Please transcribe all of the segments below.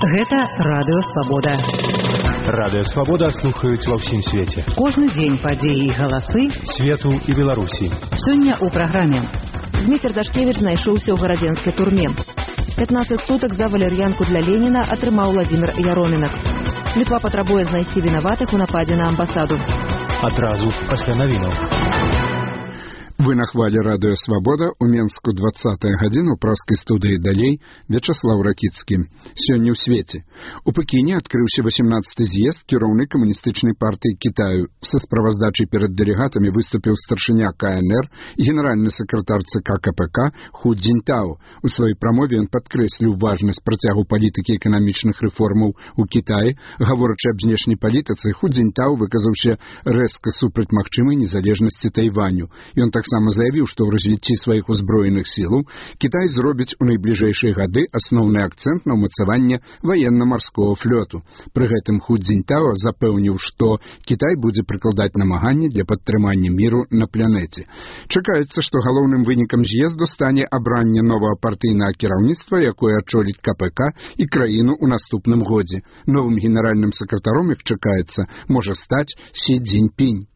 Гэта Радыё Свабода. Радыё Свабода слухаюць ва ўсім свеце. Кожны дзень падзеі і галасы свету і Беларусі. Сёння ў праграме. Дмітрий Дашкевич знайшоўся ў гарадзенскай турме. 15 сутак за валер'янку для Леніна атрымаў Владзімір Яромінак. Літва патрабуе знайсці вінаватых у нападзе на амбасаду. Адразу пасля навінаў. Вы на хвале Радыё Свабода, у Менску 20-я гадзіна, у праскай студыі далей Вячаслав Ракіцкі. Сёння ў свеце. У Пекіне адкрыўся 18-й з'езд кіраўны камуністычнай партыі Кітаю. Са справаздачай перад дэлегатамі выступіў старшыня КНР і генеральны сакратар ЦК КПК Ху Цзіньтао. У сваёй прамове ён падкрэсліў важнасць працягу палітыкі эканамічных рэформаў у Кітаі. Гаворачы аб знешняй палітыцы, Ху Цзіньтао выказаўся рэзка супраць магчымай незалежнасці Тайваню. Ён таксама заявіў, што ў развіцці сваіх узброеных сілаў Кітай зробіць у найбліжэйшыя гады асноўны акцэнт на ўмацаванне ваенна-марскога флоту. Пры гэтым Ху Цзіньтао запэўніў, што Кітай будзе прыкладаць намаганні для падтрымання міру на планеце. Чакаецца, што галоўным вынікам з'езду стане абранне новага партыйнага кіраўніцтва, якое адчоліць КПК і краіну ў наступным годзе. Новым генеральным сакратаром, як чакаецца, можа стаць Сі Цзіньпінь.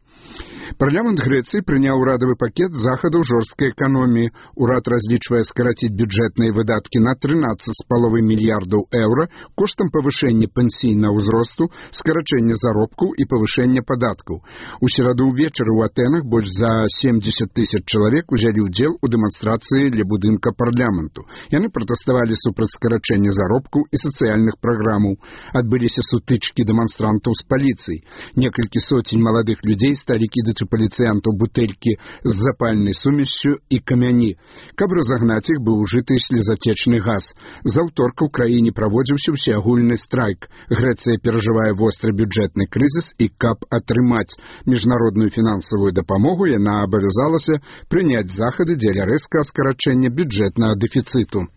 Парламент Грэцыі прыняў урадавы пакет захадаў жорсткай эканоміі. Урад разлічвае скараціць бюджэтныя выдаткі на 13,5 мільярдаў еўра коштам павышэння пенсійнага ўзросту, скарачэння заробкаў і павышэння падаткаў. У сераду ўвечары ў Атэнах больш за 70 тысяч чалавек узялі ўдзел у дэманстрацыі ля будынка парламенту. Яны пратэставалі супраць скарачэння заробкаў і сацыяльных праграмаў. Адбыліся сутычкі дэманстрантаў з паліцыяй. Некалькі соцень маладых людзей сталі кідаць у паліцыянтаў бутэлькі з запальнай сумессю і камяні. Каб разагнаць іх, быў ужыты слезатечны газ. З аўторка ў краіне праводзіўся ўсеагульны страйк. Грэцыя перажывае востры бюджэтны крызіс і каб атрымаць міжнародную фінансавую дапамогу, яна абавязалася прыняць захады дзеля рэзкага скарачэння бюджэтнага дэфіцыту.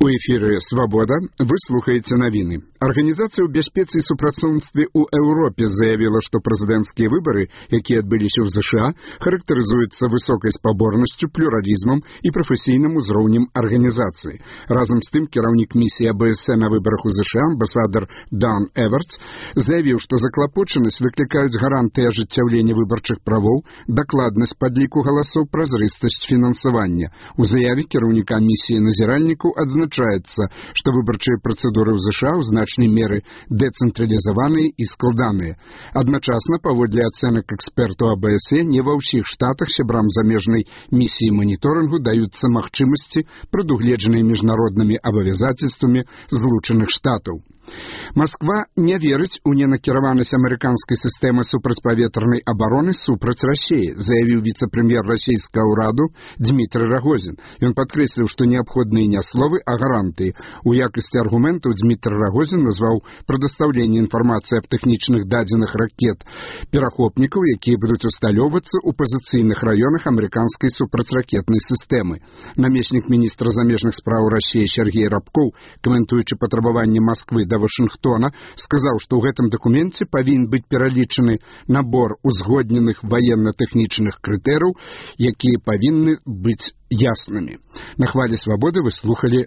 У эфіры «Свабода» вы слухаеце навіны. Арганізацыя ў бяспецы і супрацоўніцтве ў Еўропе заявіла, што прэзідэнцкія выбары, якія адбыліся ў ЗША, характарызуюцца высокай спаборнасцю, плюралізмам і прафесійным узроўнем арганізацыі. Разам з тым, кіраўнік місіі АБС на выбарах у ЗША, амбасадар Дан Эвертс, заявіў, што заклапочанасць выклікаюць гарантыі ажыццяўлення выбарчых правоў, дакладнасць падліку галасоў, празрыстасць фінансавання. У заяве кіраўніка місіі назіральнікаў адзначаецца, што выбарчыя працэдуры ў ЗША ў значнай меры дэцэнтралізаваныя і складаныя. Адначасна, паводле ацэнак экспертаў АБС, не ва ўсіх штатах сябрам замежнай місіі маніторынгу даюцца магчымасці, прадугледжаныя міжнароднымі абавязацельствамі Злучаных Штатаў. Масква не верыць у ненакіраванасць амерыканскай сістэмы супрацьпаветранай абароны супраць Расіі, заявіў віцэ-прэм'ер расійскага ўраду Дмітрый Рагозін. Ён падкрэсліў, што неабходныя не словы, а гарантыі. У якасці аргументаў Дмітрый Рагозін назваў прадастаўленне інфармацыі аб тэхнічных дадзеных ракет перахопнікаў, якія будуць усталёўвацца ў пазіцыйных раёнах амерыканскай супрацьракетнай сістэмы. Намеснік міністра замежных спраў Расіі Сергей Рабкоў, каментуючы патрабаванне Масквы да Вашынгтона, сказаў, што ў гэтым дакуменце павінен быць пералічаны набор узгодненых ваенна-тэхнічных крытэрыяў, якія павінны быць яснымі. На хвале Свабоды вы слухалі